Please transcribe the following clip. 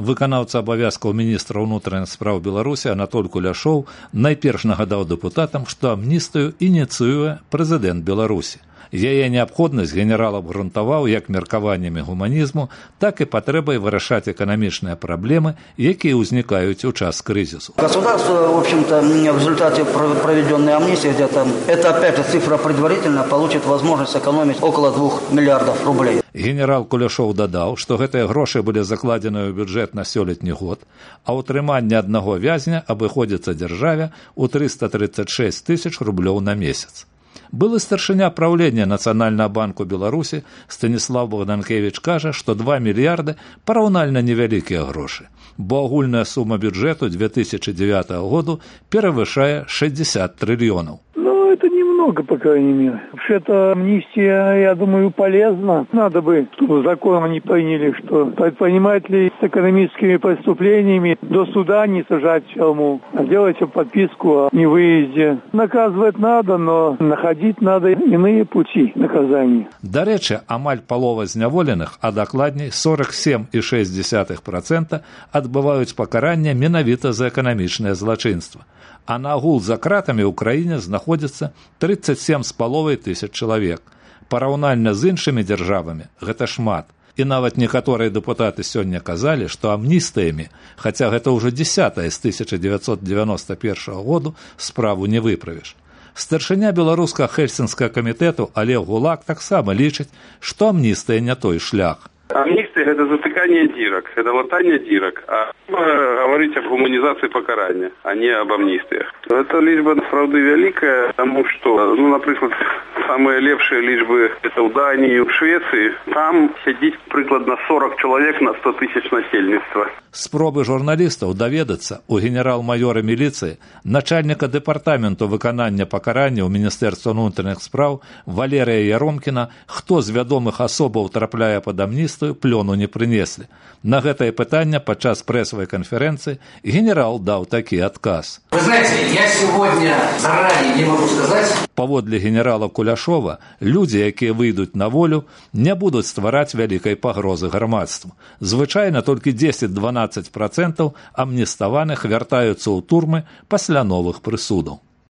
Выканаўца абавязкаў міністра ўнутраных спраў Беларусі Анатоль Куляшоў найперш нагадаў дэпутатам, што амністыю ініцыюе прэзідэнт Беларусі. Яе неабходнасць генерал абгрунтаваў як меркаваннямі гуманізму, так і патрэбай вырашаць эканамічныя праблемы, якія ўзнікаюць у час крызісу. Государство, в общем-то, в результате проведенной амнистии, где-то, это опять же цифра предварительно, получит возможность экономить около 2 миллиардов рублей. Генерал Куляшоў дадаў, што гэтыя грошы былі закладзены ў бюджэт на сёлетні год, а ўтрыманне аднаго вязня абыходзіцца дзяржаве ў 336 тысяч рублёў на месяц. Былы старшыня праўлення Нацыянальнага банку Беларусі Станіслав Богданкевіч кажа, што 2 мільярды параўнальна невялікія грошы, бо агульная сума бюджэту 2009 году перавышае 60 трыльёнаў. Это немного, по крайней мере. Вообще-то амнистия, я думаю, полезна. Надо бы, чтобы закон они приняли, что предпринимателей с экономическими преступлениями до суда не сажать в тюрьму, а делать подписку о невыезде. Наказывать надо, но находить надо иные пути наказания. До речі, амаль палова зняволеных, а дакладней 47,6% адбываюць пакаранне менавіта за эканамічнае злачынства. А на агул за кратамі ў краіне знаходзіцца 37,5 тысяч чалавек. Параўнальна з іншымі дзяржавамі гэта шмат. І нават некаторыя дэпутаты сёння казалі, што амністыямі, хаця гэта ўжо 10-я з 1991 году, справу не выправіш. Старшыня беларускага хельсінскага камітэту Олег Гулак таксама лічыць, што амністыя не той шлях. Амнистия – это затыкание дырок, это латание дырок, а говорить об гуманизации покарания, а не об амнистиях. Это лічба, правда, великая, потому что, например, самые лепшие лічбы – это в Дании, в Швеции. Там сидит прикладно 40 человек на 100 тысяч насельніцтва. Спробы журналістаў даведацца у генерал-майора міліцыі, начальніка дэпартаменту выканання пакарання ў Міністэрства ўнутраных спраў Валерія Яромкіна, хто з вядомых асобаў трапляе пад амністыю, плёну не прынеслі. На гэтае пытанне падчас прэсавай канферэнцыі генерал даў такі адказ. Вы знаете, я сегодня заранее не могу сказать. Паводле генерала Куляшова, людзі, якія выйдуць на волю, не будуць ствараць вялікай пагрозы грамадству. Звычайна толькі 10-12% амніставаных вяртаюцца ў турмы пасля новых прысудаў.